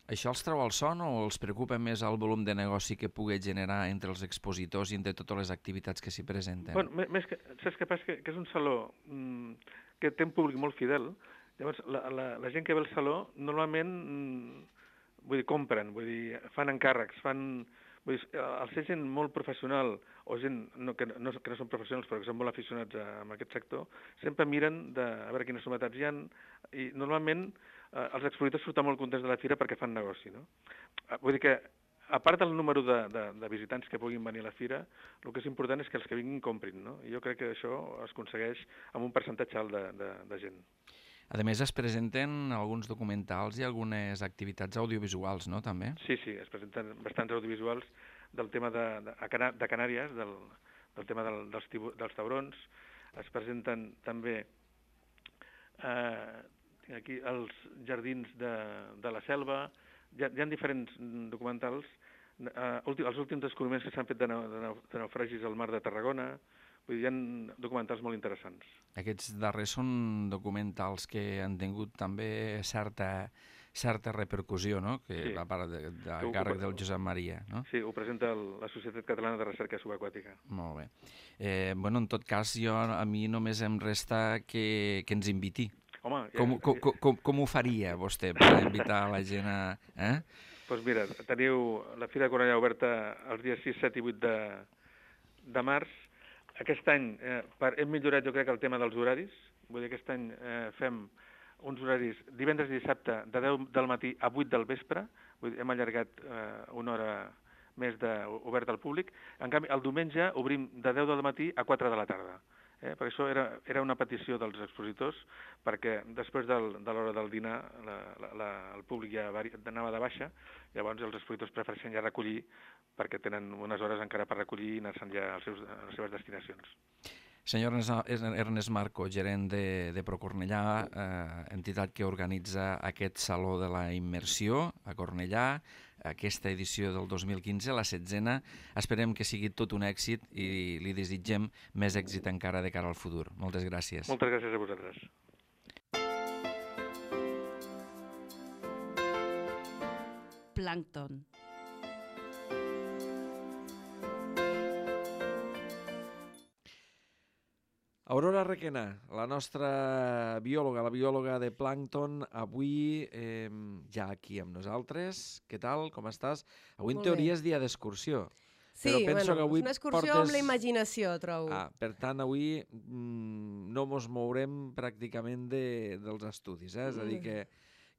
Això els treu al son o els preocupa més el volum de negoci que pugui generar entre els expositors i entre totes les activitats que s'hi presenten? Bueno, més que, saps què passa? Que, que és un saló mmm, que té un públic molt fidel. Llavors, la, la, la gent que ve al saló normalment vull dir, compren, vull dir, fan encàrrecs, fan, vull dir, al ser gent molt professional o gent no, que, no, que no són professionals però que són molt aficionats a, a aquest sector, sempre miren de, a veure quines novetats hi ha i normalment eh, els expositors surten molt contents de la fira perquè fan negoci. No? Vull dir que, a part del número de, de, de visitants que puguin venir a la fira, el que és important és que els que vinguin comprin. No? I jo crec que això es aconsegueix amb un percentatge alt de, de, de gent. A més, es presenten alguns documentals i algunes activitats audiovisuals, no?, també? Sí, sí, es presenten bastants audiovisuals del tema de, de, de Canàries, del, del tema del, dels, tibu, dels taurons. Es presenten també eh, aquí els jardins de, de la selva. Hi ha, hi ha diferents documentals. Eh, els últims descobriments que s'han fet de, nau, de, nau, de naufragis al mar de Tarragona. Vull dir, hi ha documentals molt interessants. Aquests darrers són documentals que han tingut també certa, certa repercussió, no?, que sí. Va part de, de a càrrec del Josep Maria, no? Sí, ho presenta el, la Societat Catalana de Recerca Subaquàtica. Molt bé. Eh, bueno, en tot cas, jo, a mi només em resta que, que ens inviti. Home, ja... com, com, com, com ho faria vostè per invitar la gent a... Eh? Doncs pues mira, teniu la Fira de Cornellà oberta els dies sis, set i vuit de, de març. Aquest any eh, per, hem millorat, jo crec, el tema dels horaris. Vull dir, aquest any eh, fem uns horaris divendres i dissabte de deu del matí a vuit del vespre. Vull dir, hem allargat eh, una hora més de, obert al públic. En canvi, el diumenge obrim de deu del matí a quatre de la tarda. Eh? Per això era, era una petició dels expositors, perquè després del, de l'hora del dinar la, la, la, el públic ja anava de baixa, llavors els expositors prefereixen ja recollir perquè tenen unes hores encara per recollir i anar-se'n ja als seus, a les seves destinacions. Senyor Ernest Marco, gerent de, de Procornellà, eh, entitat que organitza aquest Saló de la Immersió a Cornellà, aquesta edició del dos mil quinze, la setzena. Esperem que sigui tot un èxit i li desitgem més èxit encara de cara al futur. Moltes gràcies. Moltes gràcies a vosaltres. Plàncton. Aurora Requena, la nostra biòloga, la biòloga de plàncton, avui eh, ja aquí amb nosaltres. Què tal? Com estàs? Avui en teoria és dia d'excursió. Sí, però penso bueno, que avui és una excursió portes... amb la imaginació, trobo. Ah, per tant, avui mm, no mos mourem pràcticament de, dels estudis, eh? És a dir, que,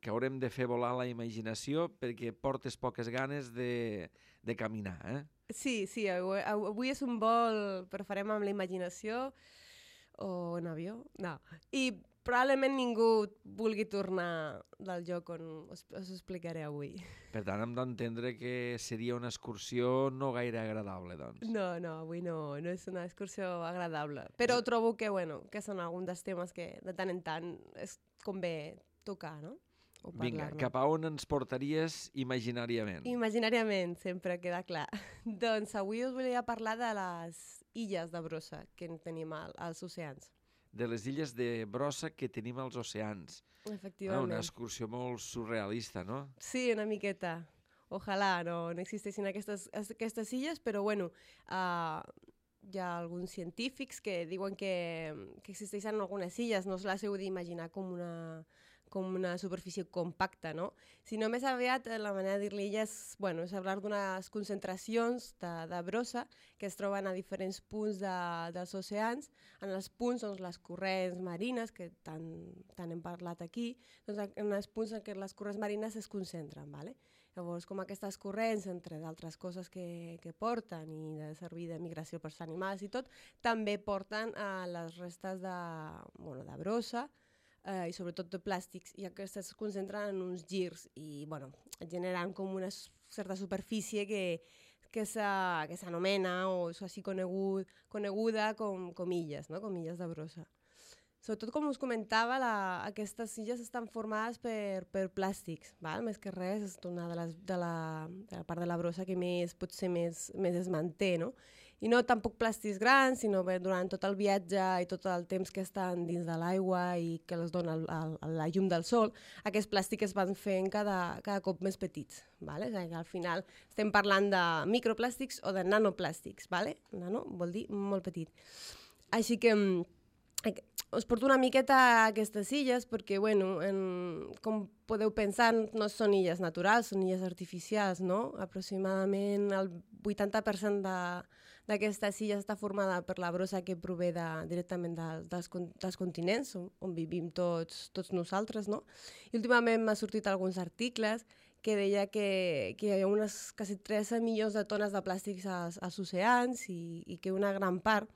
que haurem de fer volar la imaginació perquè portes poques ganes de, de caminar, eh? Sí, sí, avui, avui és un vol, però farem amb la imaginació o en avió, no. I probablement ningú vulgui tornar del lloc on us, us explicaré avui. Per tant, hem d'entendre que seria una excursió no gaire agradable, doncs. No, no, avui no, no és una excursió agradable. Però trobo que, bueno, que són alguns dels temes que de tant en tant és convé tocar, no? O Vinga, cap a on ens portaries imaginàriament? Imaginàriament, sempre queda clar. Doncs avui us volia parlar de les illes de brossa que tenim al, als oceans. De les illes de brossa que tenim als oceans. Efectivament. Ah, una excursió molt surrealista, no? Sí, una miqueta. Ojalà no, no existeixin aquestes, aquestes illes, però bueno, uh, hi ha alguns científics que diuen que, que existeixen algunes illes, no us les heu d'imaginar com una... com una superfície compacta, no? Sinó més aviat la manera de dir-li ella és, bueno, és parlar d'unes concentracions de, de brossa que es troben a diferents punts de, dels oceans, en els punts on les corrents marines, que tant, tant hem parlat aquí, doncs en els punts en què les corrents marines es concentren, ¿vale? Llavors, com aquestes corrents, entre d'altres coses que, que porten i de servir de migració per als animals i tot, també porten a les restes de, bueno, de brossa, Eh, i sobretot de plàstics, i aquestes es concentren en uns girs i bueno, generen com una certa superfície que, que s'anomena o és així conegut, coneguda com, com illes, no? Com illes de brossa. Sobretot, com us comentava, la, aquestes illes estan formades per, per plàstics, val? Més que res, és una de, les, de, la, de la part de la brossa que més, potser més, més es manté, no? I no tampoc plàstics grans, sinó bé, durant tot el viatge i tot el temps que estan dins de l'aigua i que els dona el, el, la llum del sol, aquests plàstics es van fent cada, cada cop més petits. Vale? O sigui, al final estem parlant de microplàstics o de nanoplàstics. Vale? Nano vol dir molt petit. Així que us porto una miqueta a aquestes illes perquè, bueno, en, com podeu pensar, no són illes naturals, són illes artificials, no? Aproximadament el vuitanta per cent d'aquestes illes està formada per la brossa que prové de, directament de, dels, dels continents, on, on vivim tots, tots nosaltres, no? I últimament m'ha sortit alguns articles que deia que, que hi ha unes quasi tretze milions de tones de plàstics als, als oceans i, i que una gran part,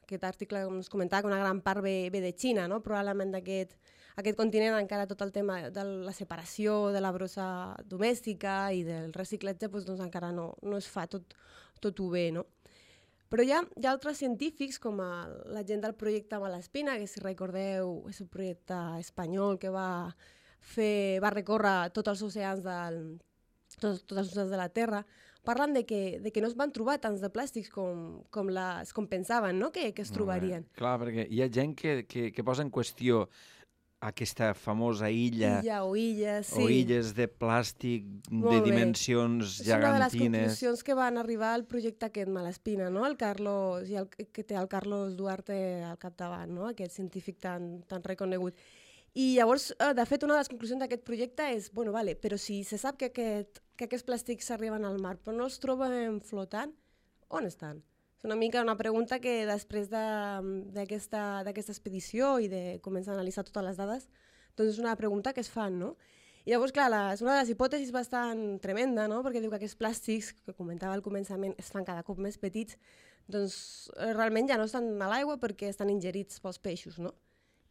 aquest article ens comentava que una gran part ve, ve de Xina, no? Probablement d'aquest aquest continent encara tot el tema de la separació de la brossa domèstica i del reciclatge doncs, doncs encara no, no es fa tot, tot ho bé, no? Però hi ha, hi ha altres científics, com el, la gent del projecte Malaspina, que si recordeu és un projecte espanyol que va, fer, va recórrer tots els oceans del, tots, tots els oceans de la Terra, parlen de que, de que no es van trobar tants de plàstics com, com, les, com pensaven, no? que, que es trobarien. Bé, clar, perquè hi ha gent que, que, que posa en qüestió aquesta famosa illa, illa o illes, sí. o illes de plàstic Molt de bé. dimensions És gegantines. una de les conclusions que van arribar al projecte aquest Malaspina, no? El Carlos, i el, que té el Carlos Duarte al capdavant, no? Aquest científic tan, tan reconegut. I llavors, de fet, una de les conclusions d'aquest projecte és, bueno, vale, però si se sap que, aquest, que aquests plàstics s'arriben al mar, però no els trobem flotant, on estan? És una mica una pregunta que després d'aquesta de, expedició i de començar a analitzar totes les dades, doncs és una pregunta que es fan, no? I llavors, clar, la, és una de les hipòtesis bastant tremenda, no? Perquè diu que aquests plàstics, que comentava al començament, es fan cada cop més petits, doncs realment ja no estan a l'aigua perquè estan ingerits pels peixos, no?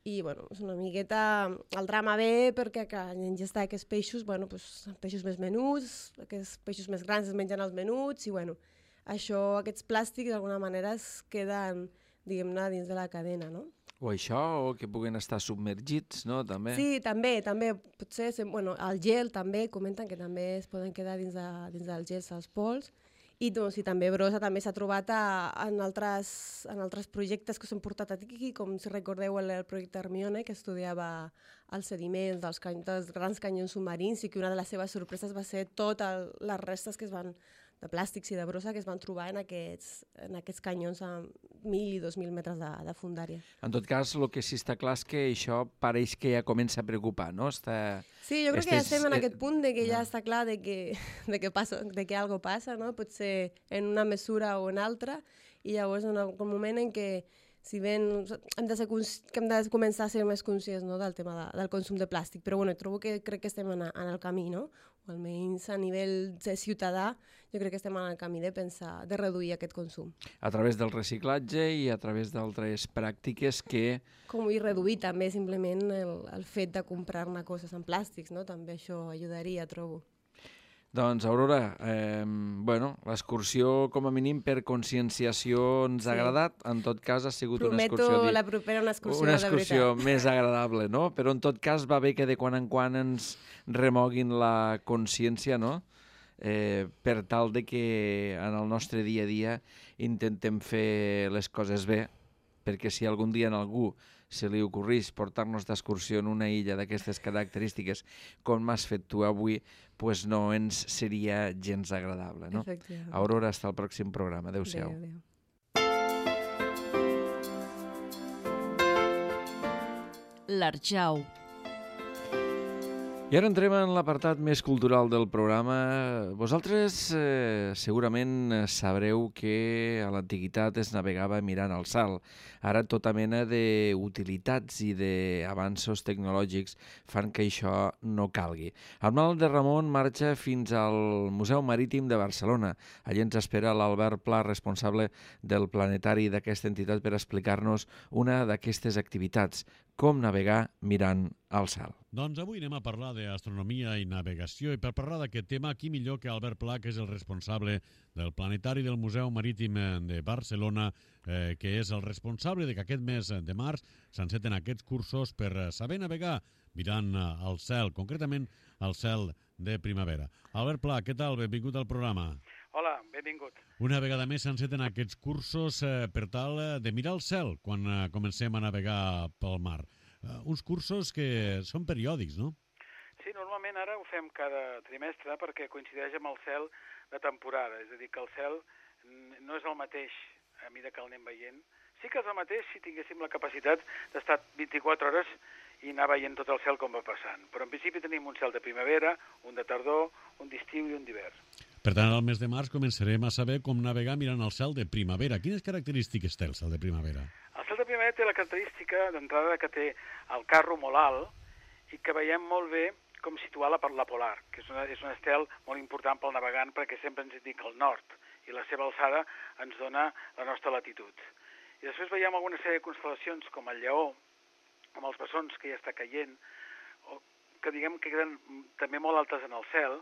I, bueno, és una miqueta... El drama ve perquè que en ingestar aquests peixos, bueno, doncs, peixos més menuts, aquests peixos més grans es mengen els menuts, i, bueno, això, aquests plàstics, d'alguna manera, es queden, diguem-ne, dins de la cadena, no? O això, o que puguen estar submergits, no?, també. Sí, també, també. Potser, bueno, el gel també, comenten que també es poden quedar dins, de, dins dels gels als pols. I, doncs, i també brossa també s'ha trobat a, en, altres, en altres projectes que s'han portat aquí, com si recordeu el, el projecte Hermione, que estudiava els sediments dels, cany, dels grans canyons submarins, i que una de les seves sorpreses va ser totes les restes que es van, de plàstics i de brossa que es van trobar en aquests, en aquests canyons mil i dos mil metres de, de fundària. En tot cas, el que sí està clar és que això pareix que ja comença a preocupar, no? Està... Sí, jo crec Estes... que ja estem en eh... aquest punt de que ja està clar de que, de que, passa, de que algo passa, no? Potser en una mesura o en altra, i llavors en algun moment en què si bé hem de, ser, que hem de començar a ser més conscients, no? Del tema de, del consum de plàstic, però bueno, trobo que crec que estem en, en el camí, no? O almenys a nivell de ciutadà, jo crec que estem en el camí de pensar, de reduir aquest consum. A través del reciclatge i a través d'altres pràctiques que... Com i reduir també simplement el, el fet de comprar-ne coses en plàstics, no? També això ajudaria, trobo. Doncs, Aurora, eh, bueno, l'excursió, com a mínim, per conscienciació ens ha sí. agradat. En tot cas, ha sigut Prometo una excursió... Prometo la propera una excursió, una excursió de més agradable, no? Però, en tot cas, va bé que de quan en quan ens remoguin la consciència, no? Eh, per tal de que en el nostre dia a dia intentem fer les coses bé, perquè si algun dia en algú se li ocorrís portar-nos d'excursió en una illa d'aquestes característiques, com m'has fet tu avui, pues no ens seria gens agradable, no? Aurora, hasta el pròxim programa. Adéu-siau. Adéu, adéu. L'Arjau. I ara entrem en l'apartat més cultural del programa. Vosaltres eh, segurament sabreu que a l'antiguitat es navegava mirant al cel. Ara tota mena d'utilitats i d'avanços tecnològics fan que això no calgui. El Mal de Ramon marxa fins al Museu Marítim de Barcelona. Allí ens espera l'Albert Pla, responsable del planetari d'aquesta entitat, per explicar-nos una d'aquestes activitats, com navegar mirant al cel. Doncs avui anem a parlar d'astronomia i navegació, i per parlar d'aquest tema, qui millor que Albert Pla, que és el responsable del planetari del Museu Marítim de Barcelona, eh, que és el responsable de que aquest mes de març s'enceten aquests cursos per saber navegar mirant al cel, concretament al cel de primavera. Albert Pla, què tal? Benvingut al programa. Hola, benvingut. Una vegada més s'enceten aquests cursos eh, per tal de mirar al cel quan eh, comencem a navegar pel mar. Uh, uns cursos que són periòdics, no? Sí, normalment ara ho fem cada trimestre perquè coincideix amb el cel de temporada, és a dir, que el cel no és el mateix a mesura que el anem veient. Sí que és el mateix si tinguéssim la capacitat d'estar vint-i-quatre hores i anar veient tot el cel com va passant. Però en principi tenim un cel de primavera, un de tardor, un d'estiu i un d'hivern. Per tant, al mes de març començarem a saber com navegar mirant el cel de primavera. Quines característiques té el cel de primavera? El cel de primavera té la característica d'entrada que té el carro molt alt i que veiem molt bé com situar la, la polar, que és, una, és un estel molt important pel navegant perquè sempre ens indica el nord i la seva alçada ens dona la nostra latitud. I després veiem alguna sèrie de constel·lacions com el lleó, amb els bessons que ja està caient, o que diguem que queden també molt altes en el cel,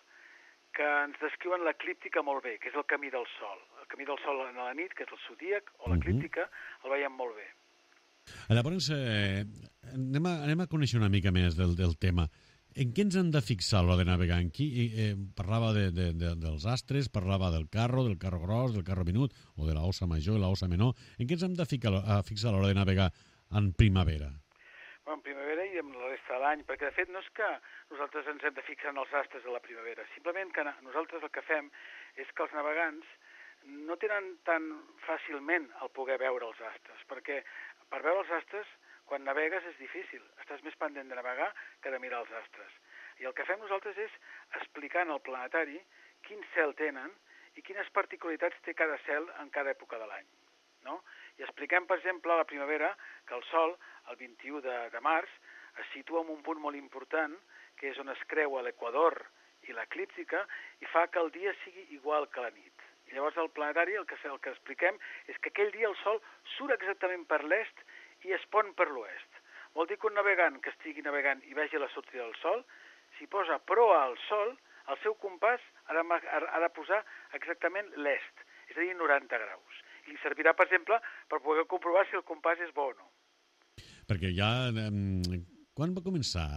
que ens descriuen l'eclíptica molt bé, que és el camí del sol. El camí del sol en la nit, que és el zodíac, o l'eclíptica, el veiem molt bé. Llavors, eh, anem, a, anem a conèixer una mica més del, del tema. En què ens hem de fixar a l'hora de navegar? En qui, eh, parlava de, de, de, dels astres, parlava del carro, del carro gros, del carro minut, o de l'ossa major i l'ossa menor. En què ens hem de fixar a, fixar a l'hora de navegar en primavera? Bueno, en primavera i en la resta de l'any, perquè de fet no és que nosaltres ens hem de fixar en els astres de la primavera, simplement que nosaltres el que fem és que els navegants no tenen tan fàcilment el poder veure els astres, perquè per veure els astres, quan navegues és difícil, estàs més pendent de navegar que de mirar els astres. I el que fem nosaltres és explicar en el planetari quin cel tenen i quines particularitats té cada cel en cada època de l'any, no? I expliquem, per exemple, a la primavera que el sol, el vint-i-u de, de març, es situa en un punt molt important, que és on es creua l'equador i l'eclíptica, i fa que el dia sigui igual que la nit. I llavors al planetari el que, el que expliquem és que aquell dia el sol surt exactament per l'est i es pon per l'oest. Vol dir que un navegant que estigui navegant i vegi la sortida del sol, si posa proa al sol, el seu compàs ha de, ha de posar exactament l'est, és a dir, noranta graus. I li servirà, per exemple, per poder comprovar si el compàs és bo o no. Perquè ja... Eh, quan va començar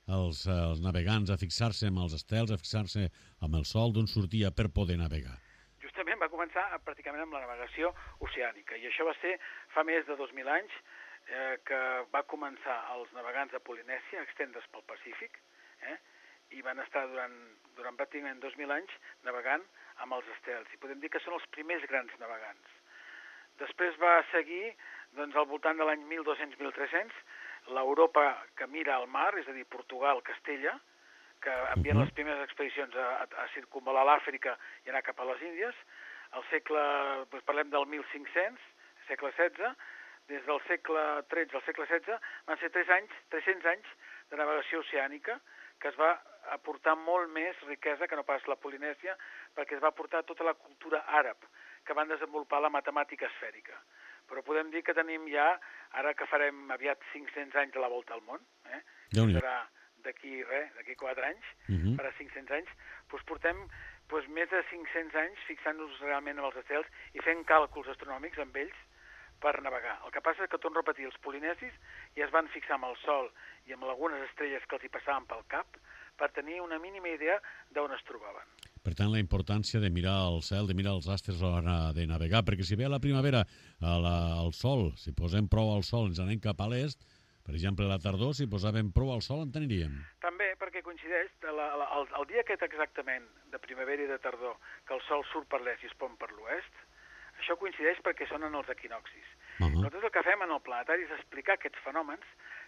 els, els navegants a fixar-se amb els estels, a fixar-se amb el sol, d'on sortia per poder navegar? Justament va començar pràcticament amb la navegació oceànica, i això va ser fa més de dos mil anys eh, que va començar els navegants a Polinèsia a extendre's pel Pacífic, eh, i van estar durant, durant pràcticament dos mil anys navegant amb els estels, i podem dir que són els primers grans navegants. Des, després va seguir doncs, al voltant de l'any mil dos-cents mil tres-cents, l'Europa que mira al mar, és a dir, Portugal, Castella, que envien uh -huh. les primeres expedicions a, a, a circumvalar l'Àfrica i anar cap a les Índies. Al segle, doncs parlem del mil cinc-cents, segle setze, des del segle tretze al segle setze, van ser tres anys, tres-cents anys de navegació oceànica, que es va aportar molt més riquesa que no pas la Polinèsia, perquè es va aportar tota la cultura àrab, que van desenvolupar la matemàtica esfèrica. Però podem dir que tenim ja, ara que farem aviat cinc-cents anys de la volta al món, eh? serà d'aquí res, d'aquí quatre anys, uh -huh. farà cinc-cents anys, doncs portem doncs, més de cinc-cents anys fixant-nos realment en els estels i fent càlculs astronòmics amb ells per navegar. El que passa és que, torno a repetir, els polinesis ja es van fixar amb el Sol i amb algunes estrelles que els hi passaven pel cap per tenir una mínima idea d'on es trobaven. Per tant, la importància de mirar el cel, de mirar els astres a l'hora de navegar, perquè si ve a la primavera a la, al sol, si posem prou al sol ens anem cap a l'est, per exemple, a la tardor, si posàvem prou al sol, en teniríem. També, perquè coincideix la, la, el, el dia aquest exactament, de primavera i de tardor, que el sol surt per l'est i es pon per l'oest, això coincideix perquè són en els equinoxis. Uh -huh. Nosaltres el que fem en el planetari és explicar aquests fenòmens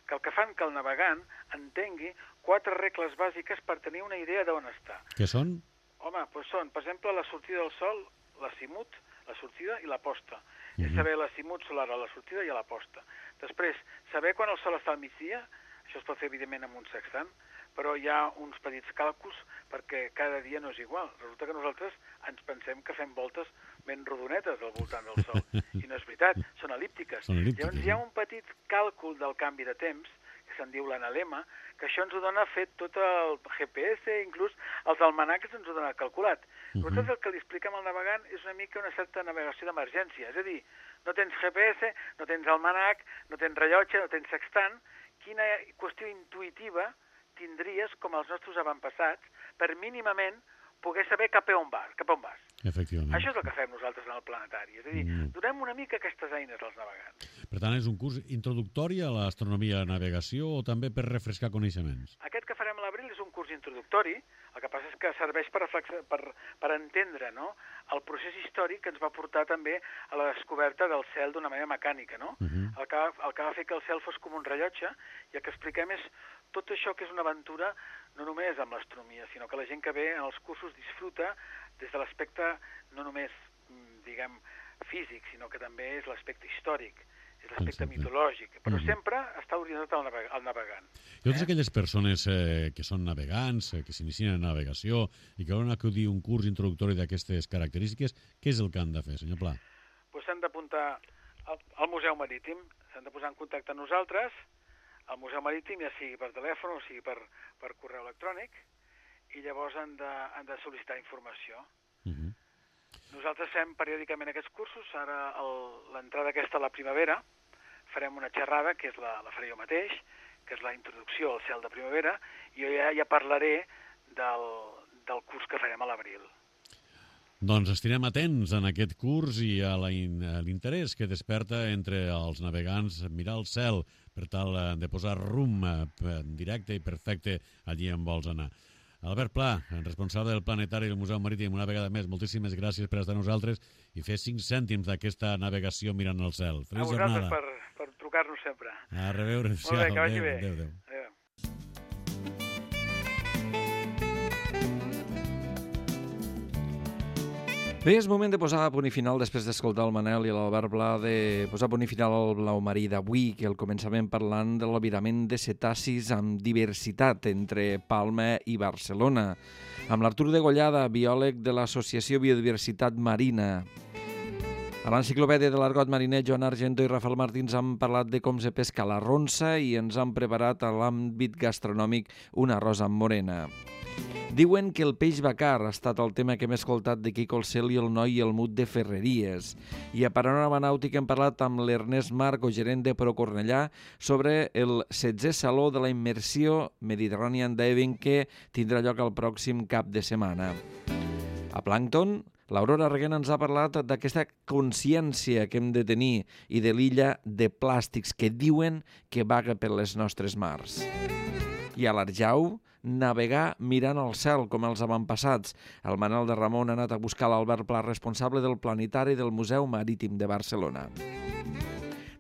que el que fan que el navegant entengui quatre regles bàsiques per tenir una idea d'on està. Què són? Home, doncs són, per exemple, la sortida del sol, l'azimut, la sortida i la posta. Uh -huh. És saber l'azimut solar a la sortida i a la posta. Després, saber quan el sol està al migdia, això es pot fer, evidentment, amb un sextant, però hi ha uns petits càlculs perquè cada dia no és igual. Resulta que nosaltres ens pensem que fem voltes ben rodonetes al voltant del sol, i no és veritat, són elíptiques. Són elíptiques. Llavors hi ha un petit càlcul del canvi de temps, que se'n diu l'analema, que això ens ho dona fet tot el G P S, inclús els almanacs ens ho dona calculat. Uh -huh. Nosaltres el que li expliquem al navegant és una mica una certa navegació d'emergència, és a dir, no tens G P S, no tens almanac, no tens rellotge, no tens sextant, quina qüestió intuïtiva tindries, com els nostres avantpassats, per mínimament poder saber cap a on vas. Cap a on vas. Efectivament. Això és el que fem nosaltres en el planetari. És a dir, mm. donem una mica aquestes eines als navegants. Per tant, és un curs introductori a l'astronomia de navegació o també per refrescar coneixements? Aquest que farem a l'abril és un curs introductori. El que passa és que serveix per, per, per entendre, no?, el procés històric que ens va portar també a la descoberta del cel d'una manera mecànica, no? Uh -huh. el, que, el que va fer que el cel fos com un rellotge, i el que expliquem és tot això que és una aventura no només amb l'astronomia, sinó que la gent que ve en els cursos disfruta des de l'aspecte no només, diguem, físic, sinó que també és l'aspecte històric, és l'aspecte mitològic, però uh-huh. sempre està orientat al, naveg al navegant. I totes eh? aquelles persones eh, que són navegants, eh, que s'inicien en navegació i que volen acudir a un curs introductori d'aquestes característiques, què és el que han de fer, senyor Pla? Pues s'han d'apuntar al, al Museu Marítim, s'han de posar en contacte amb nosaltres, al Museu Marítim, ja sigui per telèfon o sigui per, per correu electrònic, i llavors han de, han de sol·licitar informació. Uh-huh. Nosaltres fem periòdicament aquests cursos. Ara l'entrada aquesta a la primavera farem una xerrada, que és la, la faré jo mateix, que és la introducció al cel de primavera, i jo ja, ja parlaré del, del curs que farem a l'abril. Doncs estirem atents en aquest curs i a l'interès que desperta entre els navegants mirar el cel per tal de posar rumb directe i perfecte allí on vols anar. Albert Pla, responsable del Planetari del Museu Marítim, una vegada més, moltíssimes gràcies per estar amb nosaltres i fer cinc cèntims d'aquesta navegació mirant el cel. Feliç jornada. A vosaltres per, per trucar-nos sempre. A reveure. Molt bé, que vagi bé. Adéu, adéu. Adéu. Bé, és moment de posar a punt i final, després d'escoltar el Manel i l'Albert Pla, de posar a punt i final al Blau Marí d'avui, que el començament parlant de l'albirament de cetacis amb diversitat entre Palma i Barcelona, amb l'Artur de Gollada, biòleg de l'Associació Biodiversitat Marina. A l'enciclopèdia de l'argot mariner, Joan Argento i Rafael Martins han parlat de com se pesca la ronça i ens han preparat a l'àmbit gastronòmic un arròs amb morena. Diuen que el peix bacar ha estat el tema que hem escoltat de Quico el Cel i el Noi i el Mut de Ferreries. I a Panorama Nàutic hem parlat amb l'Ernest Marco, gerent de Procornellà, sobre el setzè Saló de la Immersió Mediterranean Diving que tindrà lloc el pròxim cap de setmana. A Plàncton, l'Aurora Reguena ens ha parlat d'aquesta consciència que hem de tenir i de l'illa de plàstics que diuen que vaga per les nostres mars. I a l'Arjau, navegar mirant al cel, com els avantpassats. El Manel de Ramon ha anat a buscar l'Albert Pla, responsable del Planetari del Museu Marítim de Barcelona.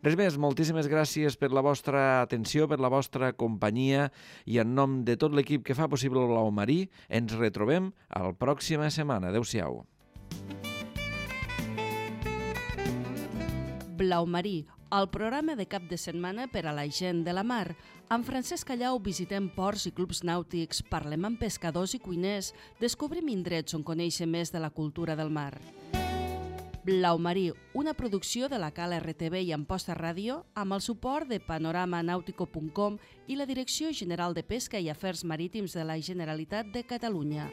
Res més, moltíssimes gràcies per la vostra atenció, per la vostra companyia i en nom de tot l'equip que fa possible el Blau Marí, ens retrobem a la pròxima setmana. Adéu-siau. Blau Marí, el programa de cap de setmana per a la gent de la mar. Amb Francesc Callau visitem ports i clubs nàutics, parlem amb pescadors i cuiners, descobrim indrets on conèixer més de la cultura del mar. Blau Marí, una producció de la Cal R T V i Amposta Ràdio amb el suport de panorama nautico punt com i la Direcció General de Pesca i Afers Marítims de la Generalitat de Catalunya.